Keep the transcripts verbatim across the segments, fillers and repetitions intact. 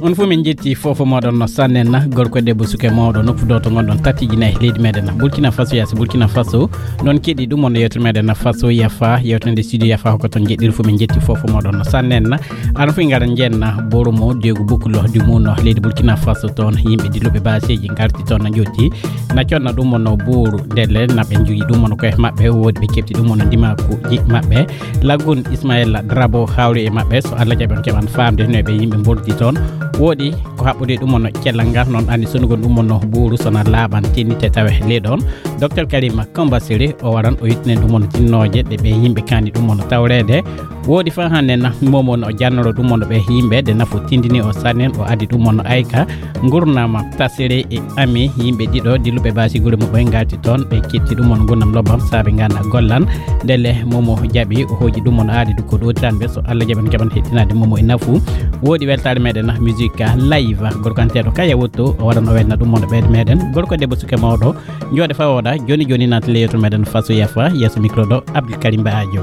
On fof min njetti fof fof moɗon no sannen na gorko e debbo suka e mawɗo noppudo to gonɗon tati jinayi leydi meɗen na Burkina Faso yaasi Burkina Faso. Noon keɗi ɗum on yewtere meɗen na Faso yafa yewtande studio yafa hokko toon jeɗɗiri fof min njetti fof fof moɗon no sannen na. Ano fof ngara njenna boromo degu bukulo di muno leydi Burkina Faso toon yimɓe diluɓe baseji ngarti toon na jotti na conna ɗum on no buuru ndelle naɓe njogi ɗum on koye maɓɓe woodi ɓe keɓti ɗum on ndimakuji maɓɓe. Lagun Ismaila Drabo hawri e maɓɓe so Allah jaɓi on keɓan famde no ɓe yimɓe mboldi toon. Woɗi ko haɓɓude ɗum on cellal ngal noon anndi sonugol ɗum on buuru sona laaɓan tennite tawe ley ɗoon. Docteur Karima Kambasiri o waran o yettinen ɗum on tinnooje ɗe ɓe yimɓe kandi ɗum on tawreede. Woɗi fa hannde na momon o jannoro ɗum on ɓe yimɓe de nafo tindini o sannen o addi ɗum on ayka. Ngurnama tasiri e ami yimɓe ɗiɗo dilluɓe basi gure muɓɓoy ngarti toon ɓe ketti ɗum on gurnam lobbam saabe ngana gollan. Ndelle momo jaɓi o hooji ɗum on aadi du ko ɗotiran ɓe so Allah jaɓan keɓan hettinaade momo e nafu. Woɗi weltaare meɗen musique live gorkanteɗo kaya wotto o waɗan o welna ɗum on ɓeyde meɗen gorko debbo suke mawɗo. Jooɗe fa oɗa joni joni naati le yewtere meɗen faso yafa yeeso micro ɗo Abdoul Karim Ba Adio.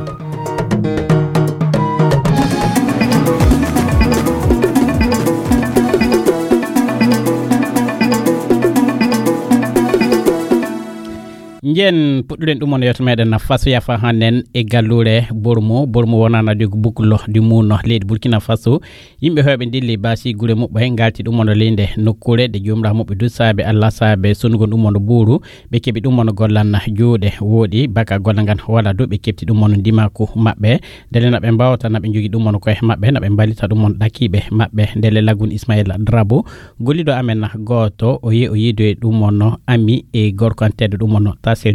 Njen puɗɗuɗen ɗum on yewto meɗen faso yafa hannen e gallure bormo bormo wonana de ko buklo di muno leydi Burkina Faso. Yimɓe heewɓe ndilli baasi gure muɓɓe ngarti ɗum ondo leyde nokkuure ɗe jomra muɓɓe du saabe Allah saabe sonnugol ɗum ondo buuru. Ɓe keɓi ɗum ondo gollan juuɗe wooɗi baka golla ngan wala du ɓe keɓti ɗum ondo ndimaku maɓɓe. Ndele na ɓe mbawta na ɓe njogi ɗum ondo koye maɓɓe na ɓe mballita ɗum ondo ɗakiɓe maɓɓe ndele lagun Ismaila Drabo golliɗo amen gooto o yi o yiidoye ɗum ondo ami e gorko an teddo ɗum ondo tasiri.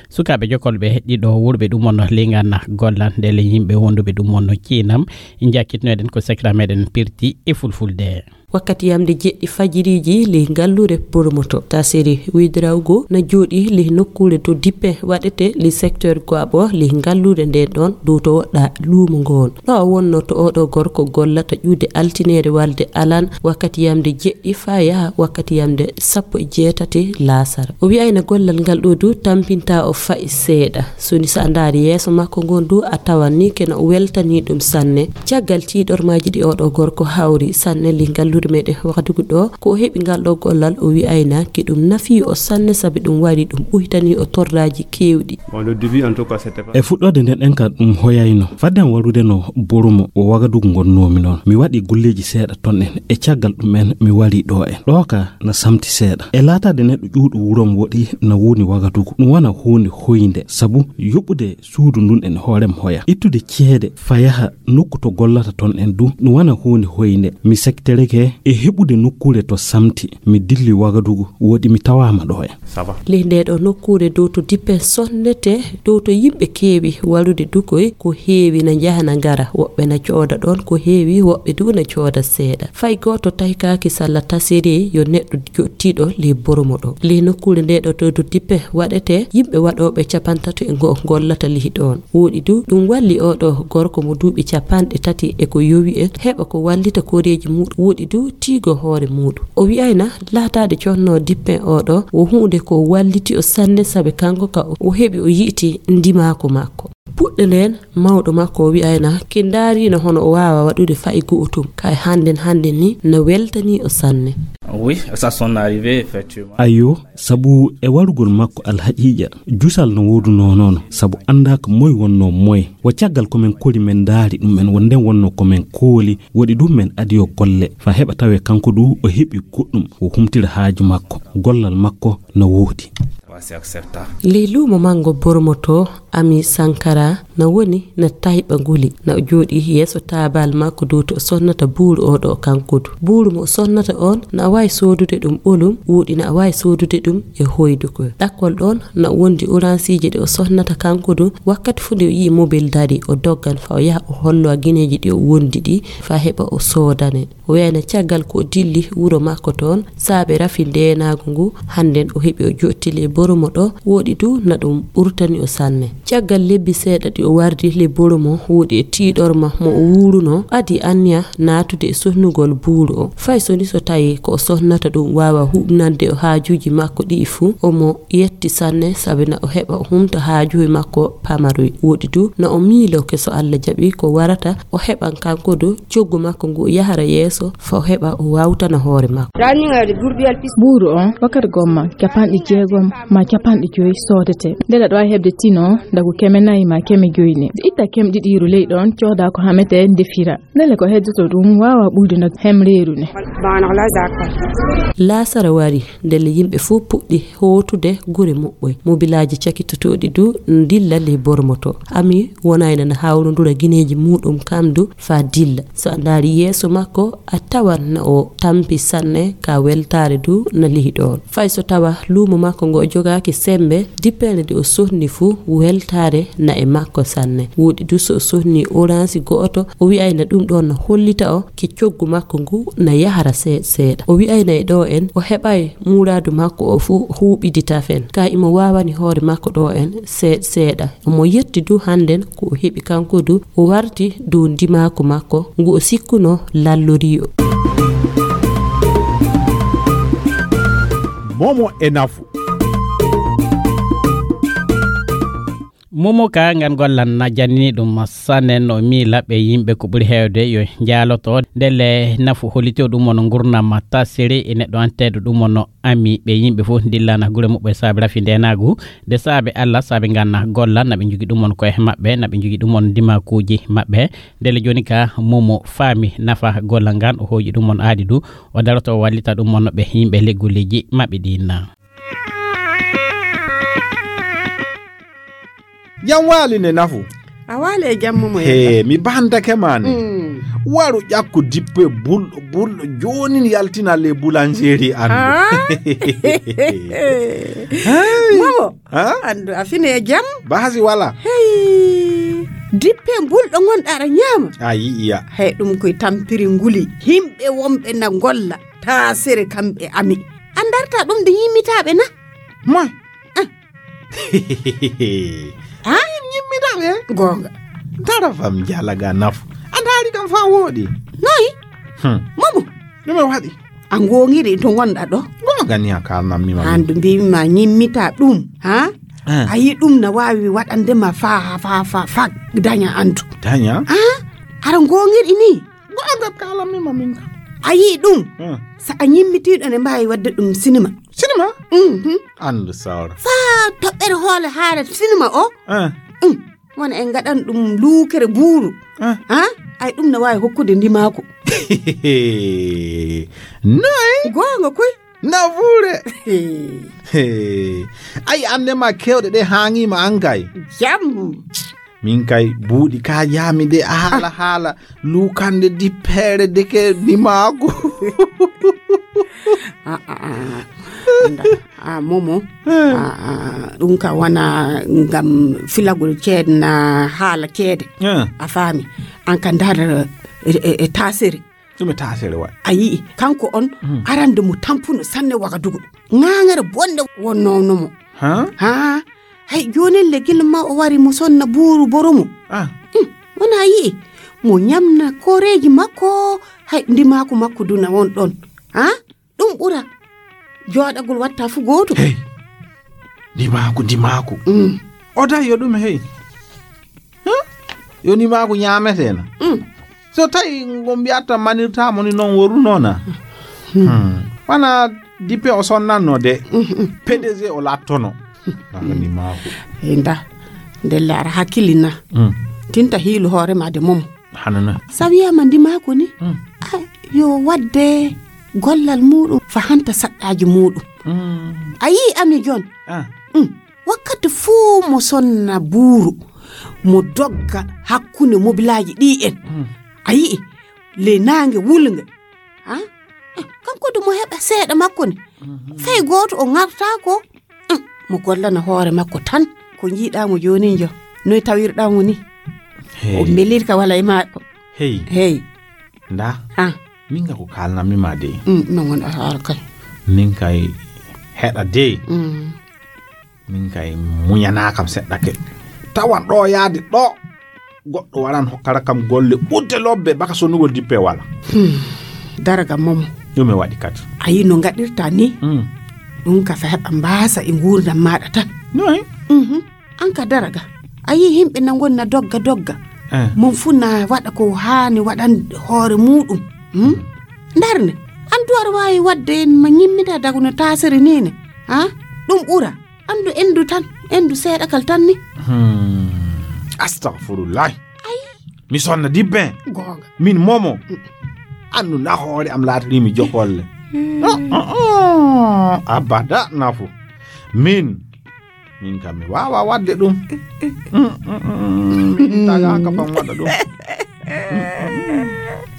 Sukaaɓe jokkolɓe ɗiɗo wurɓe ɗum ondo lingana gollan ndele yimɓe wonduɓe ɗum ondo ciinam. Jakkitnoɗen ko sekra meɗen pirti e fulfulde. Wakkati yamde jeɗɗi fajiriji ley ngallure poromoto tasiri widrawgo na jooɗi ley nokkuure to dippe waɗete ley secteur goabo ley ngallure nden ɗon dow to woɗɗa luumo ngon ɗo wonno to oɗo gorko gollata ƴuude altinere walde alan wakkati yamde jeɗɗi fa yaha wakkati yamde sappo e jeetati laasara o wi'ayna gollal ngal ɗo du tampinta o fa'i seeɗa soni sa ndaari yeeso makko ngon du a tawan ni kena o weltani ɗum sanne. Caggal tiiɗormaaji ɗi oɗo gorko hawri sanne li ngallude meɗen wakadugu ɗo ko o heɓi ngal ɗo gollal o wi'ayna ki ɗum nafi o sanne sabi ɗum wari ɗum ɓoytani o torraaji keewɗi. E fuɗɗoode nden en ka ɗum hoyayno fadden warude no boromo o wagadugu ngonnomi noon mi waɗi golleeji seeɗa ton en e caggal ɗum en mi wari ɗo en ɗo ka na samti seeɗa e laataade neɗɗo ƴuuɗo wurom woɗi na woni wagadugu ɗum wona huunde hoynde sabu yoɓude suudu ndun en hoorem hoya ittude ceede fa yaha nokku to gollata ton en du no wona huunde hoynde mi sektereke e heɓude nokkuure to samti mi dilli wagadugu woɗi mi tawama ɗo en. Ley nde ɗo nokkuure dow to dippe sonnete dow to yimɓe keewi warude dukoy ko heewi na njaha na ngara woɓɓe na cooda ɗon ko heewi woɓɓe du na cooda seeɗa fay gooto taykaaki salla tasiri yo neɗɗo joɗtiiɗo ley boromo ɗo ley nokkuure nde ɗo to dow dippe waɗete yimɓe waɗooɓe capantato e ngo gollata lihi ɗon. Woɗi du ɗum walli oɗo gorko mo duuɓi capanɗe tati e ko yowi en heɓa ko wallita koreeji muɗum woɗi du tiigo hoore muɗum o wi'ayna laataade conno dippen oɗo wo huunde ko walliti o sanne sabe kanko ka o heɓi o yi'ti ndimaaku makko puɗɗe nden mawɗo makko o wi'ayna ki ndaarino hono o waawa waɗude fa'i go'otum kay hannden hannden ni na weltani o sanne. Oui, ça son arrivé effectivement. Ayo sabu e warugol makko alhaqiiqa jusal no woodunoo noon sabu anndaaka moy wonnoo moy wo caggal ko men kori men ndaari ɗum en wo nden wonnoo ko men kooli woɗi ɗum men adiyo golle fa heɓa tawee kanko du o heɓi goɗɗum o humtira haaju makko gollal makko na woodi. Ley luumo manngo bormoto ami sankara na woni na tayɓa nguli na o jooɗi yeeso taabal makko dow to o sonnata buuru oɗo kanko du buuru mo o sonnata on na a waawi soodude ɗum ɓolum woɗi na a waawi soodude ɗum e hoyduko ɗakkol ɗon na o wondi oransiiji ɗe o sonnata kanko du wakkati fuu nde o yi'i mobil dari o doggan fa o yaha o hollo a gineeji ɗi o wondi ɗi fa heɓa o soodane. O wiyayna caggal ko o dilli wuro makko toon saabe rafi ndeenaagu ngu hannden o heɓi o jottili e bor Boromo ɗo woɗi du na ɗum ɓurtani o sanne. Caggal lebbi seeɗa ɗi o wardi le Boromo woɗi e tiiɗorma mo o wuurunoo, adi anniya naatude e sohnugol buuru o. Fay so ni so tawi ko o sohnata ɗum waawa huɓnande o haajuuji makko ɗi'i fuu, omo yetti sanne sabi na o heɓa o humta haajuuji makko pamaruy. Woɗi du na o miilo ke so Alla jaɓi ko warata o heɓan kanko du coggu makko ngu o yahara yeeso fa o heɓa o waawtana hoore makko. Buuru on wakkati gomma capanɗe jeegom ma capanɗe joyi soodete. Ndela ɗo a heɓde tino ndagu keme nayi ma keme joyi ne. Itta keme ɗiɗiiru ley ɗon cooda ko hamete ndefira. Ndele ko heddoto ɗum waawa ɓuydude hemreeru ne. Laasara wari, ndele yimɓe fof puɗɗi hootude gure muɓɓoy. Mobilaaji cakitotooɗi du ndilla ley Bormoto. Ami wonayna na hawrondura gineeji muuɗum kam du faa dilla. So a ndaari yeeso makko, a tawan na o tampi sanne ka weltaare du na lihi ɗoon. Fay so tawa luumo makko ngo o jogaaki semmbe, dippeende nde o sohni fuu weltaare na e makko sanne. Woɗi du so o sohni oransi go'oto, o wi'ayna ɗum ɗoon na hollita o ke coggu makko ngu na yahara seeɗa seeɗa. O wi'ayna e ɗo en, o heɓay muuraadu makko o fuu huuɓidi tafen. Ka imo waawani hoore makko ɗo en seeɗa seeɗa. Omo yetti du hannden ko o heɓi kanko du, o warti dow ndimaaku makko ngu o sikkunoo lallorii o. Momo e nafu. Momo ka ngan gollan na jannini ɗum sanne no miila ɓe yimɓe ko ɓuri heewde yo njaaloto ndele nafu hollito ɗum on ngurnama tasiri e neɗɗo anteeɗo ɗum on ami ɓe yimɓe fof ndillana gure muɓɓe saabe rafi ndenaagu nde saabe Allah saabe nganna golla naɓe njogi ɗum on koye maɓɓe naɓe njogi ɗum on ndimakuuji maɓɓe ndele jooni ka momo faami nafa golla ngan o hooƴi ɗum on aadi du o daroto o wallita ɗum on ɓe yimɓe leggulleeji maɓɓe ɗin. Jam waali ne nafu. A waali e jam momo he mi bandake ma ne. Mm. Waru ƴakku dippe bulɗo bulɗo jonin yaltina le boulangerie andu. Ah. Hey. Momo. Ha? Andu a fini e jam. Bahasi wala. Hey. Dippe bulɗo ngonɗa aɗa ñaama. A yi'iya. Hey ɗum koye tampiri nguli. Himɓe wonɓe na golla. Taasere kamɓe ami. An darta ɗum de yimmitaaɓe na. Moy. Ah. Ha? Yimmitaaɓe. Goonga. Tara fam jalaga nafu. A ndaari kam fa wooɗi. Noy. Hmm. Momo. Ɗume waɗi? A ngoongiri to ngonɗa ɗo. Goonga ni a kalnammi ma. Handu mbimi ma ñimmita ɗum. Ha? Eh. A yi ɗum na waawi waɗande ma fa fa fa fa daña antu. Daña? Ha? Aɗa ngoongiri ni. Goonga kalammi ma min kam. A yii ɗum? Hmm. So a ñimmitiiɗo ne mbaawi waɗde ɗum sinima. Sinima? Mhm. Anndu sawra. Faa toɓɓere hoole haala sinima o. Eh. Mm. Wona en ngaɗan ɗum luukere buuru. Eh. Ha? Ay ɗum ne waawi hokkude ndimaaku. Noy? Goonga koy. Nafuure. Ay annde ma kewɗe ɗe haaŋiima an kay. Jam. Min kay buuɗi ka jaami de a haala haala luukande dippeere deke ndimaaku. Ah, ah, ah, ah. Anda, ah, momo. Ah, ah, ɗum ka wona ngam filagol ceede na haala ceede. Ah. A faami. An ka ndar e, e, e taasere. Ɗum e taasere waɗi. A yi'i, kanko on arande mo tampuno sanne Wagadugu. Ŋaaŋere bonde wonnoono mo. Ha? Ha? Hay joonin le gila ma o wari mo sonna buuru boromo. Ah. Hmm, wona yi'i. Mo ñamna koreeji makko, hay ndimaaku makko duna won ɗon. Ha? Ɗum ɓura. Jooɗagol watta fu gooto. Hey. Ndimaaku, ndimaaku. Mm. O dayi yo ɗum hey. Hmm? Yo ndimaaku ñaametee na. Mm. So tawi ngo mbiyatta manirtaa mo ni noon worunoo na. Hmm. Hmm. Wana dippe o sonnanno de. Mm, mm. P D G o lattono. Naka ndimaaku. Hey, nda. Ndelle ara hakkilina. Mm. Tinta hiilu hoore ma de momo. Hanana. So wiyaama ndimaaku ni. Mm. Ah, yo waɗde gollal muuɗum fa hanta saɗɗaaji muuɗum. Mm. A yii ami jon. Ah. Mm. Wakkati fuu mo sonna buuru, mo dogga hakkunde mobilaaji ɗi en. Mm. A yi'i, le naange wulnge. Ha? Eh, kanko du mo heɓa seeɗa makko ni. Mhm. Fay gooto o ŋartaako. Mm, mo gollana hoore makko tan. Ko njiiɗaa mo joonin jo. Noy tawirɗaa mo ni? Hey. O mbelirka wala e maako. Hey. Hey. Nda. Ah. Min ga ko kalnammi ma de. Mm, non won a haala kay. Min kay heɗa de. Mm. Min kay muñanaa kam seɗɗa ke. Tawan ɗo yaade ɗo. Goɗɗo waran hokkata kam golle ɓurɗe lobbe baka sonnugol dippe wala. Hmm. Daraga momo. Ɗum e waɗi kadi. A yii no ngaɗirta ni? Hmm. Ɗum ka fehe ɓa mbaasa e nguurndam maaɗa tan. Noy? Mhm. An ka daraga. A yii himɓe na ngoni na dogga dogga. Eh. Mon fu na waɗa ko haani waɗan hoore muuɗum. Hmm? Ndarne. An du aɗa waawi waɗde en ma ñimmita dagu no taasere ni ne. Ha? Ɗum ɓura. Anndu endu tan, endu seeɗa kal tan ni. Hmm. Astagfirullah. Ay. Mi sonna dibbe. Goonga. Min momo. Anndu na hoore am laatiri mi jokolle. Hmm. Oh, oh, oh. Abada nafu. Min. Min kam mi waawa waɗde ɗum. Mm, mm, mm, mm. Min tagaaka fam waɗa ɗum.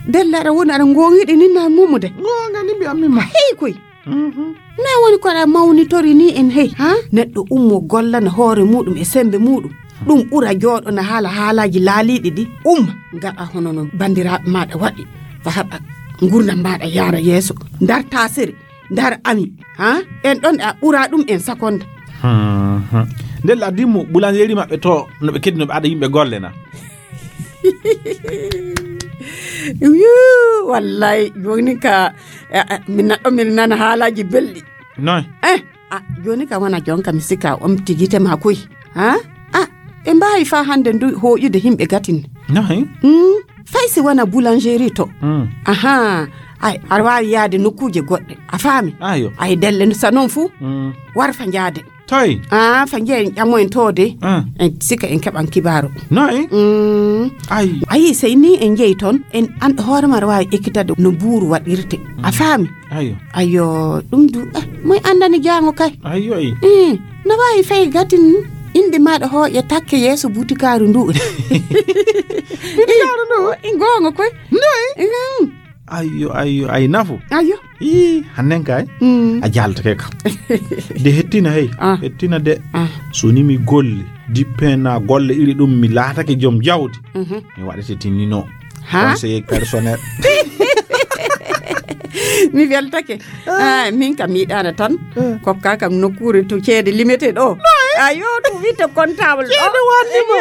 Della aɗa woni aɗa ngoongiɗi ni na mumude. Goonga ni mbiyammi ma. Hey koy. Mhm. Noy woni ko aɗa mawnitori ni en hey, ha? Neɗɗo ummo gollana hoore muuɗum e sembe muuɗum. Ɗum ɓura jooɗo na haala haalaaji laaliiɗi ɗi. Umma, ngaɗa hono no banndiraaɓe maaɗa waɗi. Fa haɓa ngurdam maaɗa yaara yeeso. Ndar taasere, ndar ami, ha? En ɗon a ɓura ɗum en sakonda. Mhm. Nde laddimu boulangerie maɓɓe to no ɓe keddi no ɓe ada yimɓe golle na. Wiu, wallay, joni ka, eh, eh, min naɗɗo min nana haalaji belɗi. Noy? Eh, ah, joni ka wona jonka mi sika omti gite ma koy. Ha? Ah, ɓe mbawi fa hande ndu hoƴude himɓe gatin. Noy? Mm, fay si wona boulangerie to. Mm. Aha, ay, aɗa wawi yaade nokkuje goɗɗe. A faami? Ayo. Ay, delle no sa noon fu, mm, war fa jaade. Toy? Ah, fa njeeyen ƴammoyen to de. Ah. En sika en keɓan kibaaru. Noy? Mm. Ay. Ayi, sey ni en njeyi toon, en an hoore ma aɗa waawi ekkitade no buuru waɗirte. A faami? Ayo. Ayo, ɗum du, eh, moy anndani jaango kay? Ayo, ay. Eh, no waawi fay gatin innde maaɗa hooƴe takke yeeso butikaaru ndu. Butikaaru ndu? Eh, goonga koy. Noy? Mm. Ayyo, ayyo, ay nafu. Ayyo. Ii, hannen kay. Mm. A jaltake kam. De hettina hey. Ah. Hettina de. Ah. So ni mi golle, dippena golle iri ɗum mi laatake joom jawdi. Mhm. Mi waɗete tinni no. Ha? Conseiller personnel. Mi weltake. Ah, min kam mi yiɗaana tan. Eh. Kokka kam nokkuure to ceede limete ɗo. Ayo, ɗum witte comptable ɗo. Ceede waɗde mo.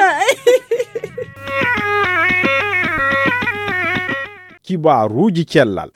Kibaaruuji cellal.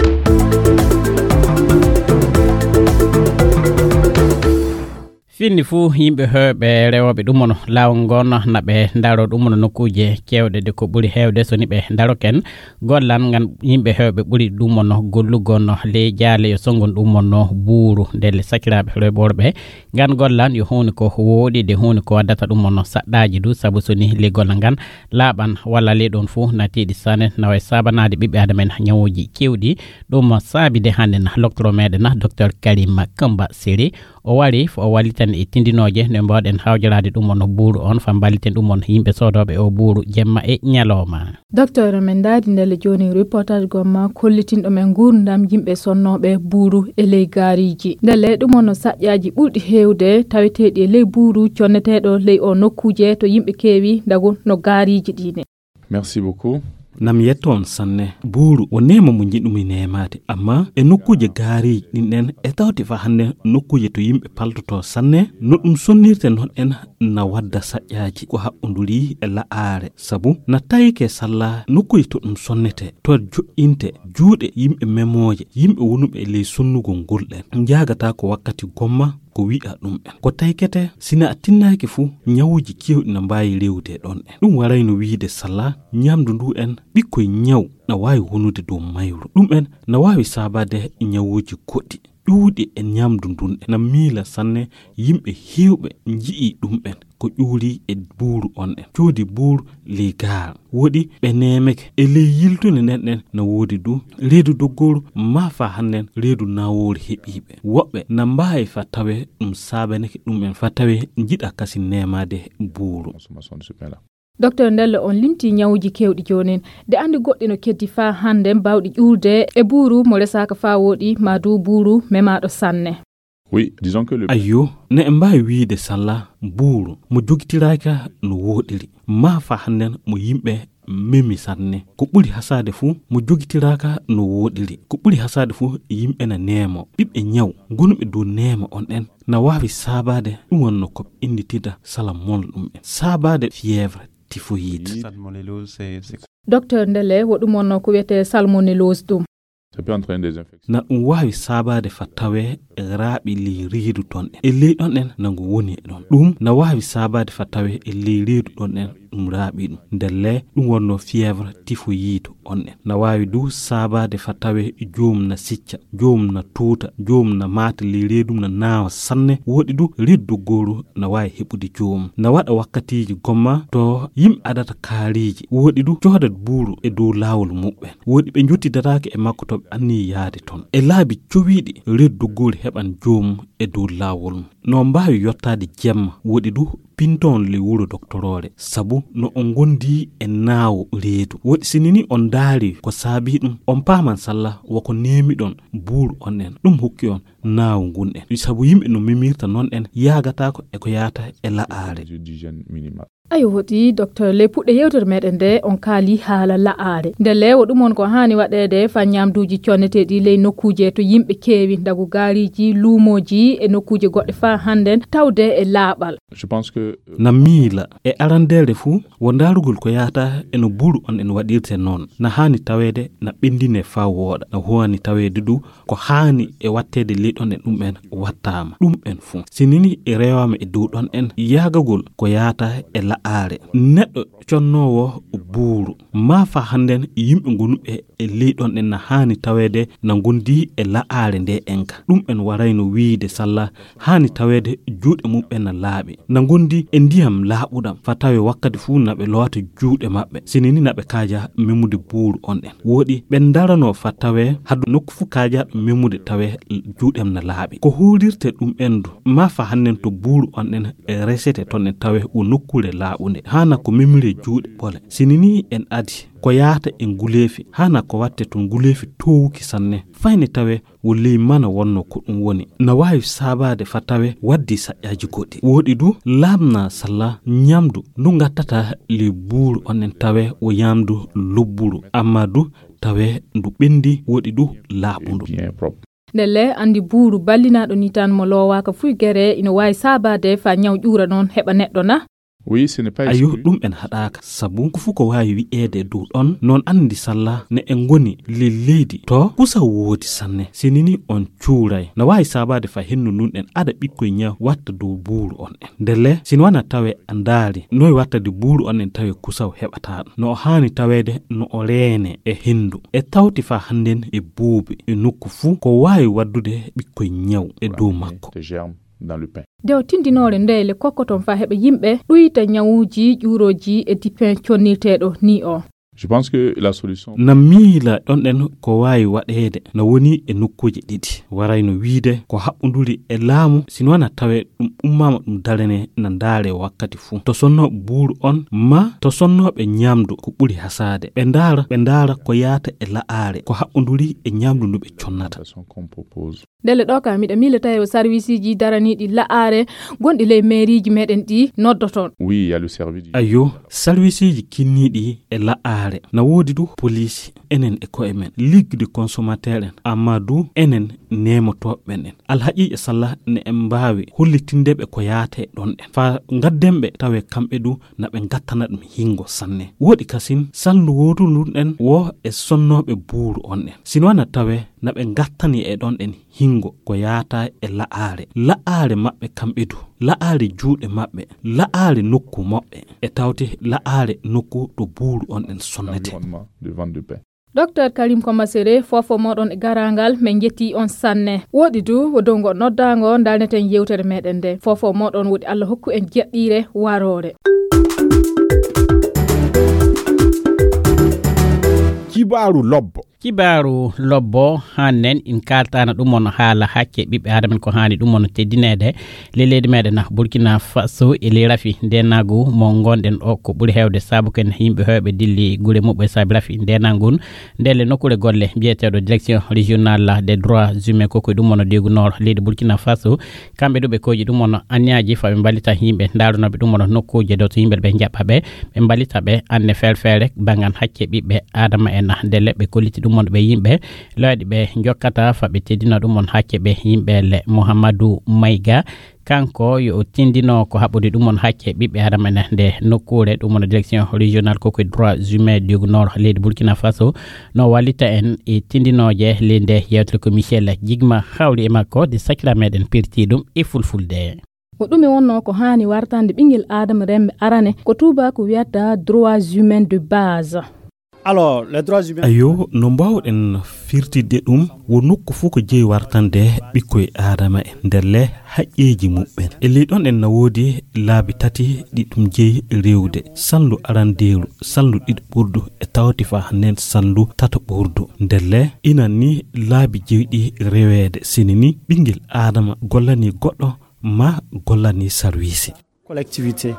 Finni fuu, yimɓe heewɓe rewooɓe ɗum mono laawol ngoon na ɓe ndaro ɗum mono nokkuuje keewɗe de ko ɓuri heewde so ni ɓe ndaroken gollan ngan yimɓe heewɓe ɓuri ɗum mono gollugon ley jaale yo sonngon ɗum mono buuru ndelle sakiraaɓe rewɓe worɓe ngan gollan yo huuni ko wooɗi de huuni ko waddata ɗum mono saɗɗaaji du sabu so ni ley golla ngan laaɓan walla ley ɗoon fuu na tiiɗi sanne na wayi saabanaade ɓiɓɓe aadama en ñawuuji keewɗi. Ɗum saabi de hannde na loktoro meɗen na docteur Karim Kamba Seri o wari fo o walliten e tindinooje no mbaawɗen hawjoraade ɗum on buuru on fa mballiten ɗum on yimɓe soodooɓe o buuru jemma e ñalooma. Docteur men ndaari ndelle jooni reportage gomma kollitinɗo men nguurndam yimɓe sonnooɓe buuru e ley gaariiji ndelle ɗum on saƴƴaaji ɓurɗi heewde taweteeɗi e ley buuru conneteeɗo ley o nokkuuje to yimɓe keewi ndago no gaariiji ɗi ne. Merci beaucoup. Nam yetto on sanne buuru o neema mo njiɗumi neemaade amma e nokkuuje gaariiji ɗin ɗen e tawti fa hannde nokkuuje to yimɓe paltoto sanne no ɗum sonnirte noon en na wadda saƴƴaaji ko haɓɓonduri e la'aare sabu na tawike salla nokkuuje to ɗum sonnete to joƴƴinte juuɗe yimɓe memooje yimɓe wonuɓe e ley sonnugol ngol ɗen njaagata ko wakkati gomma ko wi'a ɗum en ko taykete sina a tinnaaki fuu ñawuuji keewɗi na mbaawi rewde ɗon en ɗum warayno wiide salla ñamdu ndu en ɓikkoy ñaw na waawi wonude dow mayru ɗum en na waawi saabaade ñawuuji goɗɗi ƴuuɗi e ñamdu ndun en na miila sanne yimɓe heewɓe nji'i ɗum en ko ƴuuri e buuru on en coodi buuru ley gaar woɗi ɓe neemeke e ley yiltunde nden ɗen na woodi du reedu doggooru maa fa hannden reedu nawoori heɓiiɓe woɓɓe na mbaawi fa tawe ɗum saabaneke ɗum en fa tawe njiɗa kasi neemaade buuru. Docteur Ndelle on limti ñawuuji keewɗi joonin de anndi goɗɗi no keddi faa hannden baawɗi ƴuurde e buuru mo resaaka faa wooɗi maa du buuru memaaɗo sanne. Oui, disons que le Ayyo, ne en mbaawi wiide salla buuru mo jogitiraaka no wooɗiri maa faa hannden mo yimɓe memi sanne ko ɓuri hasaade fuu mo jogitiraaka no wooɗiri ko ɓuri hasaade fuu yimɓe na neemo ɓiɓɓe ñaw gonuɓe dow neema on ɗen Na waawi saabaade ɗum wonno ko innditirta salmonelle ɗum en. Saabaade fièvre typhoïde. Docteur, ndele wo ɗum wonno ko wiyetee salmonellose ɗum? Ça peut entraîner des infections. Na ɗum waawi saabaade fa tawee e raaɓi ley reedu ton en. E ley ɗon en na ngu woni e ɗon. Ɗum na waawi saabaade fa tawee e ley reedu ɗon en ɗum raaɓi ɗum. Ndele ɗum wonno fièvre typhoïde on en. Na waawi du saabaade fa tawee joom na sicca, joom na tuuta, joom na maata ley reedu na naawa sanne. Woɗi du reedu doggooru na waawi heɓude joom. Na waɗa wakkatiiji gomma to yimɓe adata kaariiji. Woɗi du coodat buuru e dow laawol muɓɓen. Woɗi ɓe njottidataake e makko to ɓe anni yaade ton. E laabi cowiiɗi reedu doggooru heɓan joom e dow laawol mum. No mbaawi yottaade jemma, woɗi du pintoon ley wuro doktoroore, sabu no on ngondi e naawo reedu. Woɗi sinini on ndaari ko saabii ɗum, on paaman salla woko neemiɗon buuru on en. Ɗum hokki on naawo ngun en. Sabu yimɓe no mimirta non en yaagataako e ko yaata e la'aare. Ayo, woɗi, docteur, ley puɗɗe yewtere meɗen nde, on kaali haala la'aare. Ndele wo ɗum won ko haani waɗeede fa ñaamduuji conneteeɗi ley nokkuuje to yimɓe keewi, ndagu gaariiji, luumooji e nokkuuje goɗɗe faa hannden tawde e laaɓal. Je pense que, euh, Na miila e arandeere fuu, wo ndaarugol ko yaata e no buuru on en waɗirte noon. Na haani taweede na ɓenndine faa wooɗa. Na haani taweede du ko haani e watteede ley ɗon en ɗum en wattaama. Ɗum en fuu. Sinini e rewaama e dow ɗon en yaagagol ko yaata e la'aare. Neɗɗo connoowo buuru. Maa faa hannden yimɓe gonuɓe e ley ɗon en na haani taweede na ngondi e la'aare nde enka. Ɗum en warayno wiide salla haani taweede juuɗe mum ɓen na laaɓi. Na ngondi e ndiyam laaɓuɗam. Faa tawe wakkati fuu na ɓe lowata juuɗe maɓɓe. Sinini na ɓe kaaja memude buuru on en. Woɗi ɓe ndaranoo faa tawe haddu nokku fuu kaajaaɗo memude tawe juuɗem na laaɓi. Ko huurirte ɗum en du. Maa faa hannden to buuru on en e resete ton en tawe wo nokkuure laaɓunde. Haana ko memire juuɗe ɓole. Sinini en adi ko yaata e nguleefi. Haana ko watte ton nguleefi toowuki sanne. Fayne tawe wo ley mana wonno ko ɗum woni. Na waawi saabaade faa tawe waddi saƴƴaaji goɗɗi. Woɗi du laaɓna salla ñamdu ndu ngattata ley buuru on en tawe wo ñamdu lobburu. Amma du tawe ndu ɓendi woɗi du laaɓundu. Ndele anndi buuru ballinaaɗo ni tan mo loowaaka fuy gere ina waawi saabaade faa ñaw ƴuura noon heɓa neɗɗo na? Oui, ce n'est pas Ayo, exclu. Ɗum en haɗaaka, sabu ko fuu ko waawi wi'eede e dow ɗon, noon anndi salla ne en ngoni ley leydi to kusa woodi sanne. Sinini on cuuray, na waawi saabaade faa hendu ndun en ada ɓikkoy ñaw watta dow buuru on en. Ndele, si no wana tawe a ndaari, noy wattade buuru on en tawe kusaw heɓataa ɗum. No o haani taweede, no o reene e hendu. E tawti faa hannden e buubi, e nokku fuu, ko waawi waddude ɓikkoy ñaw e dow makko. Des germes dans le pain. Nde o tindinoore nde le kokkoton faa heɓa yimɓe ɗuyta ñawuuji ƴuurooji e dipen connirteeɗo ni o. Je pense que la solution. Na miila ɗon ɗen ko waawi waɗeede na woni e nokkuuje ɗiɗi. Warayno wiide ko haɓɓunduri e laamu, si no wana tawe ɗum ummaama ɗum darane na ndaare wakkati fuu. To sonnooɓe buuru on, ma to sonnooɓe ñamdu ko ɓuri hasaade. Ɓe ndaara, ɓe ndaara ko yaata e la'aare, ko haɓɓunduri e ñamdu ndu ɓe connata. Qu'on propose. Ndele ɗo ka miɗa miila tawi o sarwisiiji daraniiɗi la'aare gonɗi ley meeriiji meɗen ɗi noddoton. Oui, il y a le service du. Ayo, sarwisiiji kinniiɗi e la'aare. Na woodi du poliisi, enen e ko'e men, ligue de consommateur en, amma du enen neemotooɓe ɓen en. Alhaqiiqa salla ne en mbaawi hollitinde ɓe ko yaate ɗon en. Faa ngadden ɓe tawe kamɓe du na ɓe ngattana ɗum hingo sanne. Woodi kasin salndu wootundu ɗen wo e sonnooɓe buuru on en. Si no wana tawe na ɓe ngattani e ɗon en hingo ko yaata e la'aare. La'aare maɓɓe kamɓe du. La'aare juuɗe maɓɓe. La'aare nokku maɓɓe. E tawte la'aare nokku to buuru on en sonnete. Environnement de vente de pain. Docteur Karim Komasere, fofo moɗon e garangal, men jetti on sanne. Woɗi du, wo dow ngo noddaango, ndalneten yewtere meɗen nde. Fofo moɗon woɗi Allah hokku en jeɗɗiire waroore. Kibaaru lobbo. Kibaaru lobbo, hannen in kaltana ɗum on haala hakke ɓiɓɓe adama en ko haani ɗum on teddineede. Ley leydi meɗen na Burkina Faso e ley rafi ndenagu mo ngonɗen o ko ɓuri heewde sabu ken yimɓe hewɓe dilli gure muɓɓe saabi rafi ndenagu ngun. Ndele nokkure golle mbiyeteeɗo Direction Régionale des Droits Humains ko koye ɗum on deegu nord leydi Burkina Faso. Kamɓe ɗo ɓe kooƴi ɗum on anniyaji fa ɓe mballita yimɓe ndaarunooɓe ɗum on nokkuuje ɗo to yimɓe ɓe njaɓɓa ɓe, ɓe mballita ɓe anne feere feere banngal hakke ɓiɓɓe adama en. Ndele ɓe kolliti ɗum Ɗum on ɓe yimɓe looyɗi ɓe njokkata fa ɓe teddino ɗum on hacce ɓe yimɓe le Mouhamadou Maïga. Kanko yo o tindino ko haɓɓude ɗum on hacce ɓiɓɓe adama ene nde nokkuure ɗum on direction régionale koko e droit humain du nord leydi Burkina Faso. No wallita en e tindinooje ley nde yewtere ko Michel Jigma hawri e makko de sakira meɗen pirti ɗum e fulfulde. Ko ɗum e wonno ko haani wartande ɓinngel aadama remme arane ko tuubaaku wiyata droits humains de base. Alors les droits humains. Ayo, no mbaawɗen firtidde ɗum, wo nokku fof ko jeyi wartande ɓikkoy aadama e nder le haqqeeji muɓɓen. E ley ɗon en na woodi laabi tati ɗi ɗum jeyi rewde: salndu arandeeru, salndu ɗiɗi ɓurdu, e tawti fa nen salndu tata ɓurdu. Nder le inan ni laabi jeyi ɗi reweede, sini ni ɓinngel aadama gollani goɗɗo ma gollani sarwiisi. Collectivité.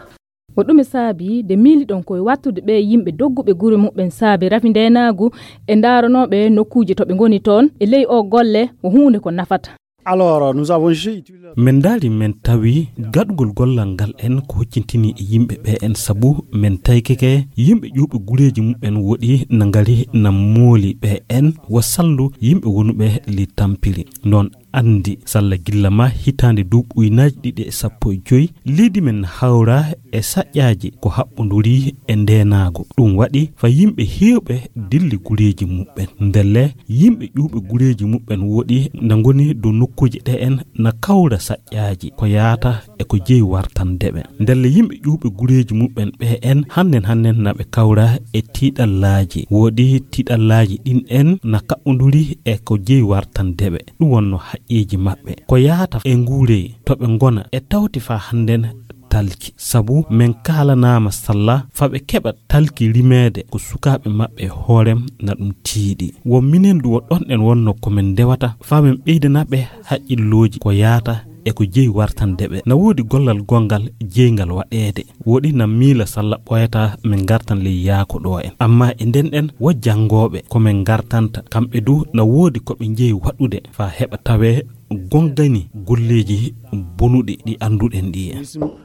Ko ɗum e saabi de miiliɗon koye wattude ɓe yimɓe dogguɓe gure muɓɓen saabe rafi ndeenaagu e ndaaranooɓe nokkuuje to ɓe ngoni toon e ley o golle ko huunde ko nafata. Alors nous avons jugé utile. Min ndaari min tawi gaɗugol gollal ngal en ko huccintini e yimɓe ɓe en, sabu min taykeke yimɓe ƴuuɓe gureeji muɓɓen woɗi na ngari na mooli ɓe en wo sallu yimɓe wonuɓe li tampiri. Noon anndi salla gilla ma hitaande duuɓi ujunaaji ɗiɗi e sappo e joy, leydi men hawra e saƴƴaaji ko haɓɓonduri e ndeenaagu. Ɗum waɗi fa yimɓe heewɓe dilli gureeji muɓɓen. Ndelle yimɓe ƴuuɓe gureeji muɓɓen woɗi na ngoni dow nokkuuje ɗe en na kawra saƴƴaaji ko yaata e ko jeyi wartande ɓe. Ndelle yimɓe ƴuuɓe gureeji muɓɓen ɓe en hannden hannden na ɓe kawra e tiiɗallaaji. Woɗi tiiɗallaaji ɗin en na kaɓɓonduri e ko jeyi wartande ɓe. Ɗum wonno haqqeeji maɓɓe. Ko yaata e nguurey to ɓe ngona e tawti fa hannden talki. Sabu min kaalanaama salla fa ɓe keɓa talki rimeede ko sukaaɓe maɓɓe hoorem na ɗum tiiɗi. Wo minen du wo ɗon en wonno ko min ndewata fa min ɓeydana ɓe haqqillooji ko yaata e ko jeyi wartande ɓe. Na woodi gollal gonngal jeyngal waɗeede. Woɗi na miila salla ɓooyata min ngartan ley yaako ɗo en. Amma e nden ɗen wo janngooɓe ko min ngartanta. Kamɓe du na woodi ko ɓe njeyi waɗude fa heɓa tawee gonngani golleeji bonuɗi ɗi annduɗen ɗi en.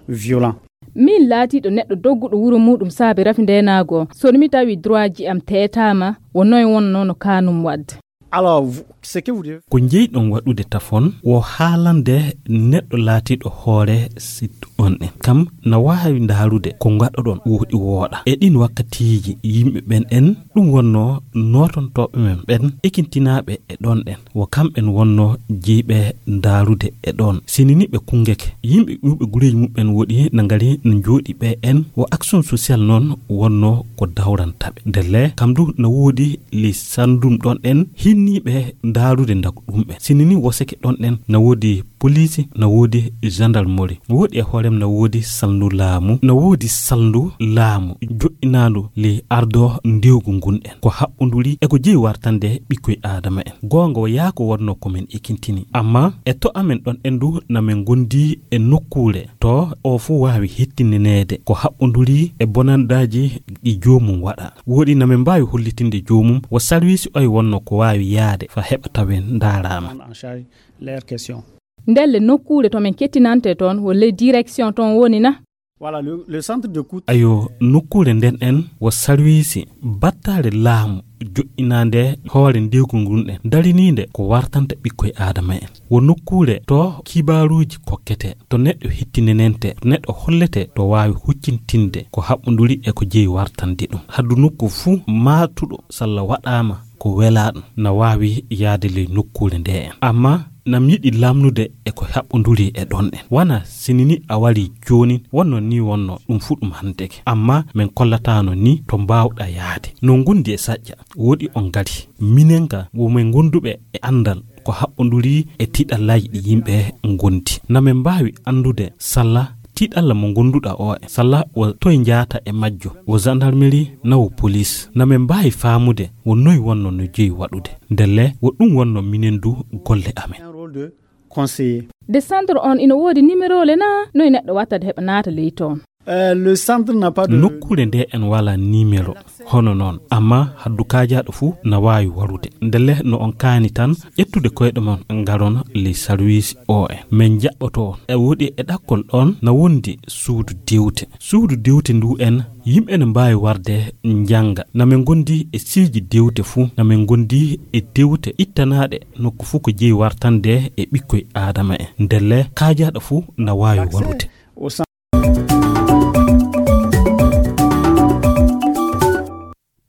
Violent. Min laatiiɗo neɗɗo dogguɗo wuro muɗum saabe rafi ndeenaago, so mi tawi droitji am teetaama, wo noy wonno no kaanum waɗde? Alors, vous- ce que vous devez Ko njeyɗon waɗude tafon wo haalande neɗɗo laatiiɗo hoore site on en. Kam na waawi ndaarude ko ngaɗoɗon woɗi wooɗa. E ɗin wakkatiiji yimɓe ɓen en, ɗum wonno nootontooɓe men ɓen, ekintinaaɓe e ɗon ɗen. Wo kamɓen wonno jeyɓe ndaarude e ɗon. Sinini ɓe kunngeke. Yimɓe ƴuuɓe gureeji muɓɓen woɗi na ngari no njooɗi ɓe en. Wo action sociale noon wonno ko dawrantaɓe. Ndelle kam du na woodi ley sanndum ɗon ɗen hinniiɓe ndaarude ndagu ɗum ɓe. Sinini woseke ɗon ɗen na woodi poliisi, na woodi gendarmerie. No woodi e hoorem na woodi salndu laamu, na woodi salndu laamu joɗɗinaandu ley ardo ndewgu ngun en. Ko haɓɓonduri e ko jeyi wartande ɓikkoy aadama en. Goonga wo yaako wonno ko men ekintini. Amma e to amen ɗon en du na men gondi e nokkuure to o fu waawi hettineneede ko haɓɓonduri e bonandaaji ɗi joomum waɗa. Woɗi na men mbaawi hollitinde joomum wo sarwiisi oy wonno ko waawi yaade fa heɓa tawen ndaaraama. Prendre en charge leurs questions. Ndelle nokkuure to men kettinante toon wo ley direction toon woni na? Voilà, le, le centre d'écoute. Ayo, nokkuure nden en wo sarwiisi battaare laamu joɗɗinaande hoore ndewgu ngun ɗen dariniinde ko wartanta ɓikkoy aadama en. Wo nokkuure to kibaaruuji kokkete, to neɗɗo hettinenente, to neɗɗo hollete, to waawi huccintinde ko haɓɓonduri e ko jeyi wartande ɗum. Haddu nokku fuu maatuɗo salla waɗaama ko welaa ɗum, na waawi yaade ley nokkuure nde en. Amma na mi yiɗi lamnude e ko haɓɓonduri e ɗon en. Wana sinini a wari jooni, wonno ni wonno ɗum fuu ɗum hanteke. Amma min kollataano ni to mbaawɗa yaade. No ngondi e saƴƴa, woɗi on ngari. Minen ka wo min gonduɓe e anndal ko haɓɓonduri e tiɗallaaji ɗi yimɓe ngondi. Na min mbaawi anndude salla tiɗalla mo gonduɗa o e salla wo toye njaata e majjo, wo gendarmerie na wo police. Na min mbaawi faamude wo noy wonno no jeyi waɗude. Ndelle wo ɗum wonno minen du golle amen. Un rôle de conseiller. De centre on ina woodi numéro le na? Noy neɗɗo wattade heɓa naata ley toon? Nokkuure nde en wala nimero hono noon, amma haddu kaajaaɗo fuu na waawi warude. Ndelle no on kaani tan ƴettude koyɗe mon ngaron ley sarwiisi o en. Min njaɓɓoto on. E woodi e ɗakkol ɗoon na wondi suudu dewte. Suudu dewte ndu en, yimɓe ne mbaawi warde njannga. Na min ngondi e siiji dewte fuu, na min ngondi e dewte ittanaaɗe nokku fuu ko jeyi wartande e ɓikkoy Aadama en. Ndelle kaajaaɗo fuu na waawi warude.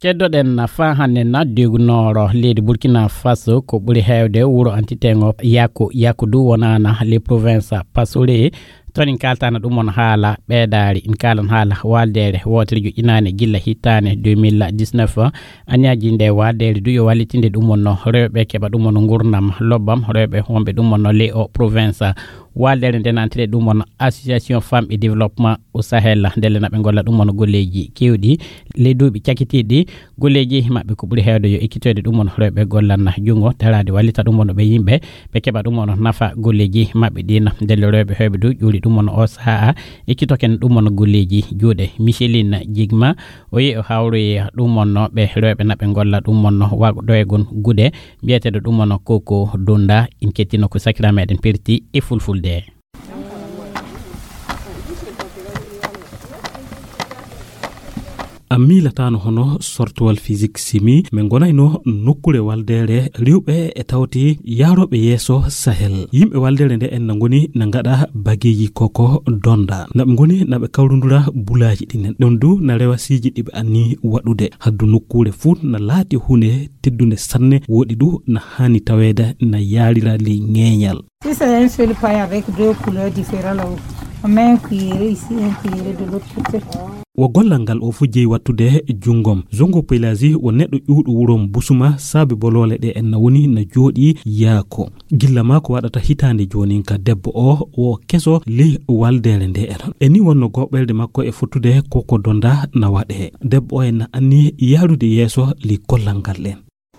Ceddoɗen faa hannde na dewgunooro leydi Burkina Faso ko ɓuri heewde wuro Antitengo Yako Yako du wonaana les provinces Pasore. Toon en kaaltana ɗum on haala ɓeedaari, en kaalan haala waaldeere wootere joƴƴinaande gilla hittaande deux mille dix-neuf. Aniyaaji nde waaldeere du yo wallitinde ɗum on no rewɓe keɓa ɗum on ngurnam lobbam, rewɓe wonɓe ɗum on no les o province. Waaldeere nde nantire ɗum on Association Femmes et Développement au Sahel, ndelle na ɓe ngolla ɗum on golleeji keewɗi. Ley duuɓi cakitiiɗi, golleeji maɓɓe ko ɓuri heewde yo ekkitoyde ɗum on rewɓe gollanna junngo, daraade wallita ɗum on ɓe yimɓe, ɓe keɓa ɗum on nafa golleeji maɓɓe ɗin. Ndelle rewɓe heewɓe du ƴuuri ɗum on o sahaa, ekkitoken ɗum on golleeji juuɗe. Micheline Jigma, o yehi o hawroyi ɗum on no ɓe rewɓe na ɓe ngolla ɗum on no waɗoygon gude, mbiyeteeɗo ɗum on Koko Donda, en kettino ko sakira meɗen perti e fulfulde. A miilataano hono sortowal physique simi, min ngonayno nokkuure waaldeere rewɓe e tawti yaarooɓe yeeso Sahel. Yimɓe waaldeere nde en na ngoni na ngaɗa bageeji koko donda. Na ɓe ngoni na ɓe kawrundura bulaaji ɗinen. Ɗum du na rewa siiji ɗi ɓe anni waɗude. Haddu nokkuure fuu na laati huunde teddunde sanne, woɗi du na haani taweede na yaarira ley ŋeeñal. Si c'est un seul paille avec deux couleurs différentes là-haut, on met un cuillère ici, un cuillère de l'autre côté. Wo gollal ngal o fof jeyi wattude junngom. Zongo Pelazi wo neɗɗo ƴuwɗo wurom Busuma, saabe boloole ɗe en na woni na jooɗi yaako. Gilla maa ko waɗata hitaande joonin ka debbo o wo keso ley waaldeere nde en. E ni wonno goɓɓelde makko e fottude koko donda na waɗe. Debbo o en na anni yaarude yeeso ley gollal ngal ɗen.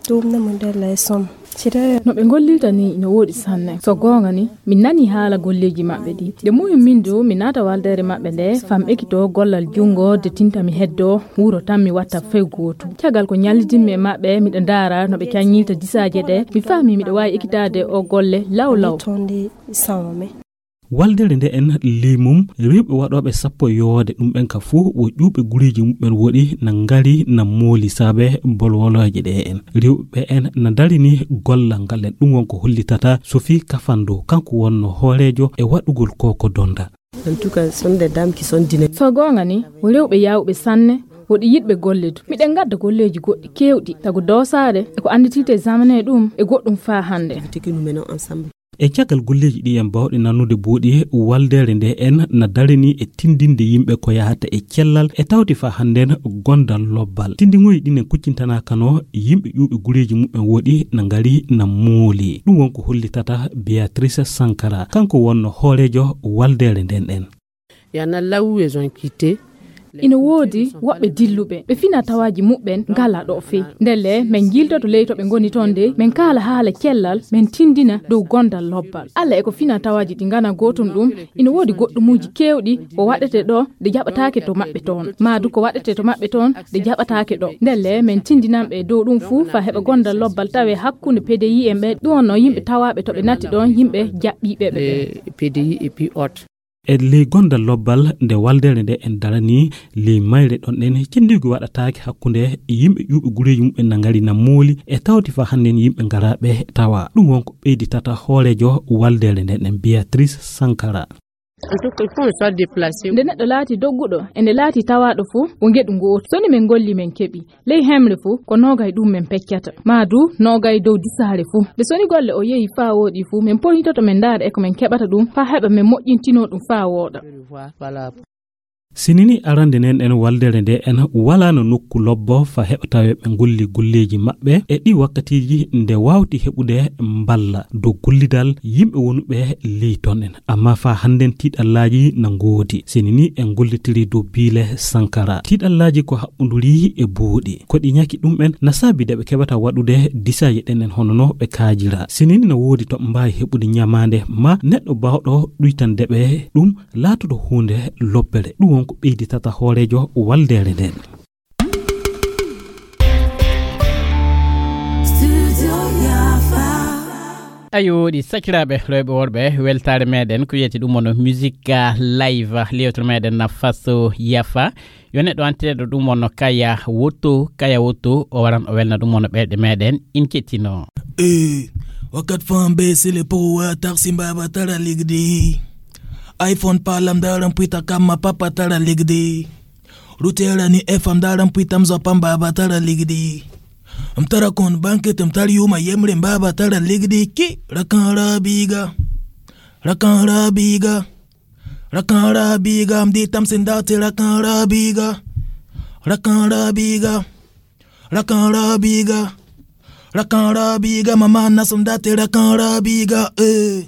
Ɗum na mo ndella e som. Sire. No ɓe ngollirta ni no woɗi sanne. So goonga ni, mi nani haala golleeji maɓɓe ɗi. Nde muyu min du, mi naata waaldeere maɓɓe nde, fam ekito gollal junngo de tinta mi heddo, wuro tan mi watta fey gootu. Caggal ko ñallidinmi e maɓɓe, miɗo ndaara no ɓe caññirta disaaje ɗe, mi faami miɗo waawi ekitaade o golle law law. Tonde sama me. Waldere nde en ley mum, rewɓe waɗooɓe sappo yowoode ɗum ɓen ka fof, wo ƴuuɓe gureeji muɓɓen woɗi na ngari na mooli saabe bolwolooje ɗe en. Rewɓe en na darini gollal ngal en. Ɗum won ko hollitata Sophie Kafando, kanko wonno hooreejo e waɗugol koko donda. En tout cas, ce sont des dames qui sont dynamiques. So goonga ni, wo rewɓe yaawɓe sanne, woɗi yiɗɓe golledu. Miɗen ngadda golleeji goɗɗi keewɗi, tago doosaade e ko annditirte zamane ɗum e goɗɗum faa hannde. Activités que nous menons ensemble. E caggal golleeji ɗi en baawɗe nannude booɗi, waldere nde en na darani e tindinde yimɓe ko yahata e cellal e tawti faa hannden gondal lobbal. Tindinŋooji ɗin en kuccintanaakano yimɓe ƴuuɓe gureeji muɓɓen woɗi na ngari na mooli. Ɗum won ko hollitata Beatrice Sankara, kanko wonno hooreejo waldere nden en. Y en a là où elles ont quitté. Ina woodi woɓɓe dilluɓe, ɓe fina tawaaji muɓɓen ngalaa ɗo fey. Ndelle, men njiiltoto ley to ɓe ngoni toon de, men kaala haala cellal, men tindina dow gondal lobbal. Alla e ko fina tawaaji ɗi ngana gootum ɗum, ina woodi goɗɗumuuji keewɗi ko waɗete ɗo, ɗe jaɓataake to maɓɓe toon. Maa du ko waɗete to maɓɓe toon, ɗe jaɓataake ɗo. Ndelle, men tindinan ɓe dow ɗum fuu, faa heɓa gondal lobbal tawe hakkunde P D I en ɓe, ɗum wonno yimɓe tawaaɓe to ɓe natti ɗoon, yimɓe jaɓɓiiɓe ɓe ɓe. Les P D I et puis autres. E ley gondal lobbal nde waldere nde en darani ley mayre ɗon ɗen, cenndigi waɗataake hakkunde yimɓe ƴuuɓe gureeji muɓɓen na ngari na mooli e tawti faa hannden yimɓe ngaraaɓe tawa. Ɗum won ko ɓeyditata hooreejo waldere nden en Beatrice Sankara. En tout cas, il faut que soit déplacé. Nde neɗɗo laati dogguɗo, e nde laati tawaaɗo fof, ko ngeɗu ngootu. So ni men ngolli men keɓi. Ley hemre fof, ko noogay ɗum men peccata. Maa du, noogay dow disaare fof. Nde so ni golle o yehi faa wooɗi fof, men poynitoto men ndaara e ko men keɓata ɗum, faa heɓa men moƴƴintinoo ɗum faa wooɗa. Sinini arande nden en waldere nde en walaano nokku lobbo faa heɓa tawe ɓe ngolli golleeji maɓɓe e ɗi wakkatiiji nde waawti heɓude mballa dow gollidal yimɓe wonuɓe ley ton en. Amma faa hannden tiiɗallaaji na ngoodi. Sinini en gollitiri dow Biile Sankara. Tiiɗallaaji ko haɓɓunduri e booɗi. Ko ɗi ñaki ɗum en na saabi de ɓe keɓata waɗude disaaje ɗen en hono no ɓe kaajira. Sinini na woodi to ɓe mbaawi heɓude ñamaande maa neɗɗo baawɗo ɗuytande ɓe ɗum laatoto huunde lobbere. Ɗum Ko ɓeyditata hooreejo waldeere nden. Ayo, ɗi sakiraaɓe rewɓe worɓe, weltaare meɗen ko wiyete ɗum wonno musique live, lewtere meɗen na faso yafa. Yo neɗɗo antireɗo ɗum wonno Kaya Woto, Kaya Woto o waran o welna ɗum wonno ɓerɗe meɗen, in kettino. Eh, wakat fan be sele po wa taxi mbaba tara ligdi. iPhone palam daram pita kama papa tara ligdi. Rutera ni F M daram pita mzo pamba ba tara ligdi. Mtara kon banke tem tari yuma yemre mbaba tara ligdi ki rakan rabiga. Rakan rabiga. Rakan rabiga mdi tam sendate rakan rabiga. Rakan rabiga. Rakan rabiga. Rakan rabiga mama nasum date rakan rabiga eh.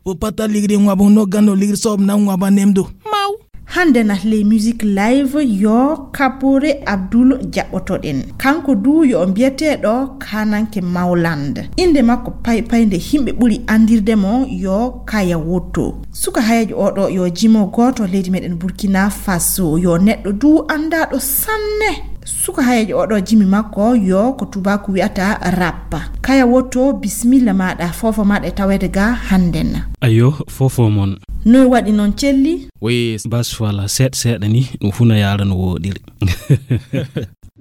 Bo pata ligri ngwa bo no gano ligri sob na ngwa ba nemdo. Mau. Hande na ley musique live yo Kapore Abdul jaɓɓotoɗen. Kanko du yo o mbiyeteeɗo Kananke Mawland. Innde makko paypay nde yimɓe ɓuri anndirde mo yo Kaya Wotto. Suka hayeejo oɗo yo jimo gooto leydi meɗen Burkina Faso, yo neɗɗo du anndaaɗo sanne. Suka hayeejo oɗo jimi makko yo ko tubaku wi'ata rap. Kaya Wotto, bismilla maɗa, fofo maɗa e taweede ga hannden. Ayo, fofo mon. Noy waɗi noon celli? Oui. Bas wala seeɗa seeɗa ni, ɗum fuu na yaara no wooɗiri.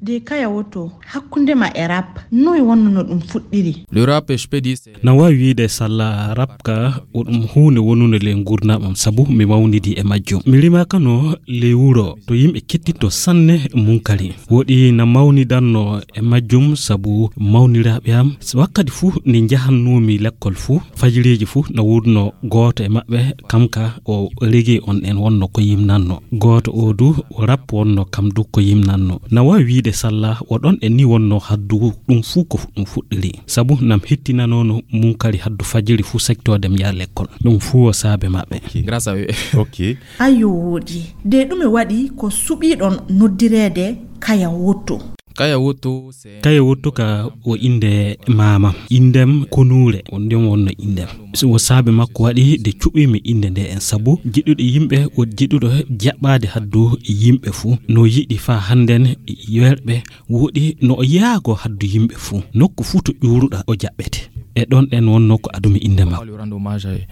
De Kaya Wotto, hakkunde ma e rap, noy wonno no ɗum fuɗɗiri? Le rap, je peux dire, c'est na waawi wiide salla rap ka o ɗum huunde wonunde ley nguurndam am, sabu mi mawnidi e majjum. Mi rimaaka no ley wuro to yimɓe kettinto sanne munkari. Woɗi na mawnidanno e majjum sabu mawniraaɓe am. Wakkati fuu nde njahannoomi lekkol fuu, fajiriiji fuu na woodno gooto e maɓɓe, kam ka o regi on en wonno ko yimnanno. Gooto o du o rap wonno kam du ko yimnanno. Na waawi wiide salla o ɗon en ni wonno haddu ɗum fuu ko ɗum fuɗɗiri. Sabu nam hettinanono munkari haddu fajiri fuu sektoode mi yaha lekkol. Ɗum fuu o saabe maɓɓe. Ok. Grâce à eux. Ok. Ayo wooɗi. De ɗume waɗi ko suɓiɗon noddireede Kaya Wotto? Kaya Wotto, c'est Kaya Wotto ka o innde maamam. Inndem konuure, o ndem wonno inndem. So o saabe makko waɗi de cuɓiimi innde nde en sabu jiɗuɗo yimɓe, o jiɗuɗo jaɓɓaade haddu yimɓe fuu. No yiɗi faa hannden yerɓe woɗi no o yaago haddu yimɓe fuu. Nokku fuu to ƴuuruɗa o jaɓɓete. E ɗon ɗen wonno ko adumi innde makko. Rendre hommage à eux.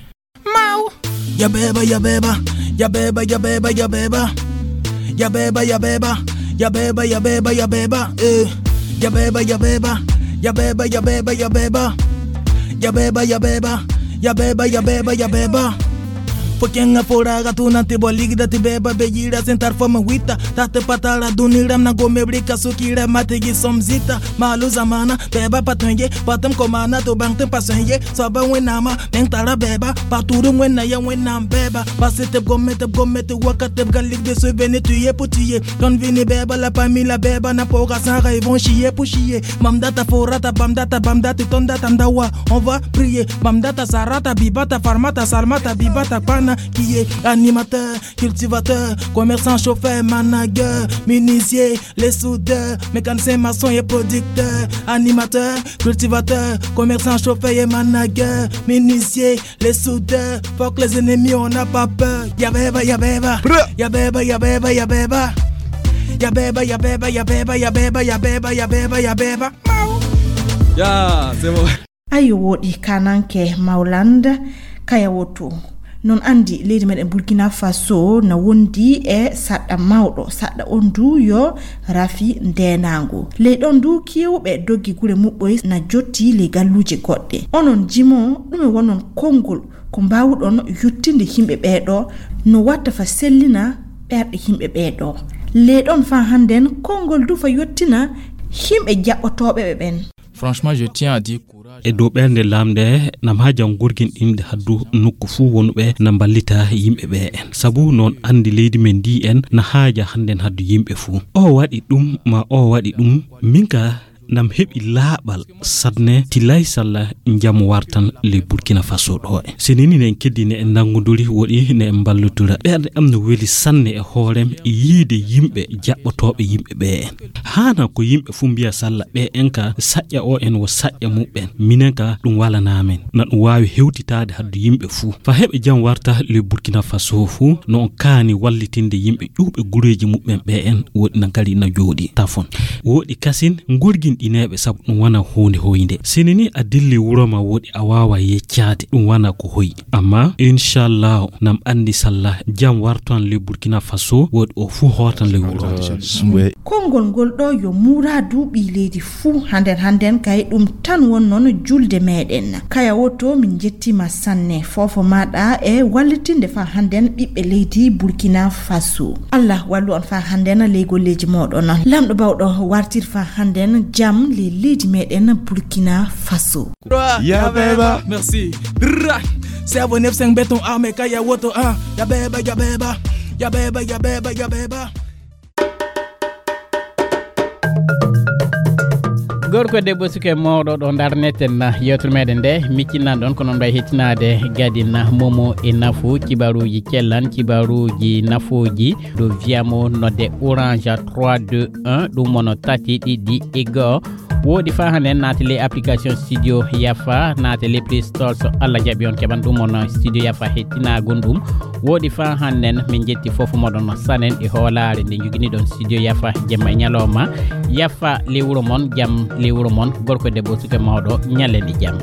Mau. Yabeba, yabeba, yabeba, yabeba, yabeba. Yabeba, yabeba, yabeba, yabeba, yabeba, eh. Yabeba, yabeba, yabeba, yabeba, yabeba. Yabeba, yabeba, yabeba, yabeba, yabeba. Fokenga foraga tunanti bo ligda ti beba be yira sentar fo ma wita. Tate patara duniram na go mebrika sukira mategi somzita. Malu zamana beba patonye patam komana to bangte pasonye. Saba wenama mentara beba. Paturu wena ya wena beba. Pasete gomete gomete wakate galig de se vene tuye putiye. Don vini beba la pamila beba na poga sara ils vont chier pour chier. Mamdata forata bamdata bamdata tondata ndawa. On va prier. Mamdata sarata bibata farmata salmata bibata pana qui est animateur, cultivateur, commerçant, chauffeur, manager, menuisier, les soudeurs, mécanicien, maçon et producteur, animateur, cultivateur, commerçant, chauffeur et manager, menuisier, les soudeurs, fuck les ennemis, on n'a pas peur. Yabeba, yabeba. Yabeba, yabeba, yabeba. Yabeba, yabeba, yabeba, yabeba, yabeba, yabeba, yabeba. Ya, c'est bon. Ayo wooɗi kananke Mawland Kaya Wotto. Non anndi leydi meɗen Burkina Faso na wondi e saɗɗa mawɗo. Saɗɗa on du yo rafi ndenangu. Ley ɗon du kewɓe doggi gure muɓɓoy na jotti ley galluuje goɗɗe. Onon jimo ɗume wonon konngol ko mbaawuɗon yottinde yimɓe ɓeeɗo no watta fa sellina ɓerɗe yimɓe ɓeeɗo. Ley ɗon fa hannden konngol du fa yottina yimɓe jaɓɓotooɓe ɓe ɓen. Franchement, je tiens à dire courage. E dow ɓernde lamnde nam haaja ngurgin ɗimde haddu nokku fuu wonuɓe na mballita yimɓe ɓe en. Sabu noon anndi leydi men ndi en na haaja hannden haddu yimɓe fuu. O waɗi ɗum ma o waɗi ɗum, min ka Nam heɓi laaɓal sanne tilay salla jam wartan le Burkina Faso ɗo e. Senini ne en keddine en nannguduri woɗi ne en mballudura. Ɓerɗe am no weli sanne e hoorem e yiide yimɓe jaɓɓotooɓe yimɓe ɓe en. Haana ko yimɓe fuu mbiya salla ɓe en ka saƴƴa o en wo saƴƴa muɓɓen. Minen ka ɗum walanaa men. Na ɗum waawi hewtitaade haddu yimɓe fuu. Fa heɓe jam warta le Burkina Faso fuu no on kaani wallitinde yimɓe ƴuuɓe gureeji muɓɓen ɓe en woɗi nan kadi na jooɗi tafon. Woɗi kasin ngorginɗineeɓe sabu ɗum wona huunde hoynde. Sini ni a dilli wuro ma woɗi a waawa yeccaade ɗum wona ko hoyi. Amma inchallahu nam anndi salla jam wartan le Burkina Faso woɗi o fuu hootan le wuro. Konngol ngol ɗo yo muuraadu ɓii leydi fuu handen handen kay ɗum tan won noon julde meɗen. Kaya woto min njettima sanne fofo maɗa e wallitinde fa handen ɓiɓɓe leydi Burkina Faso. Allah wallu on fa handen ley golleji moɗon. Lamɗo bawɗo wartir fa handen jam le leydi meɗen Burkina Faso. Ya beba. Merci. Drrra. Seven F cinq béton armé kaya woto ah. Ya beba, ya beba. Ya beba, ya beba, ya beba. Gorko e debbo suka e mawɗo ɗo darneten yewtere meɗen nde miccinnan ɗon ko noon mbawi hettinaade gadin momo e nafu kibaruji cellan kibaruji nafuji ɗo wiyamo nodde orange trois deux un ɗum wono tati ɗiɗi e goo. Woɗi fa hande naate ley application studio yafa naate ley play store so allah jaɓi on keɓan ɗum on studio yafa hettinagon ɗum. Woɗi fa hannden min jetti fof moɗon sanen e hoolaare nde joginiɗon studio yafa jemma e ñalawma. Yafa ley wuro mon jam ley wuro mon gorko e debbo suka e mawɗo ñallen e jam.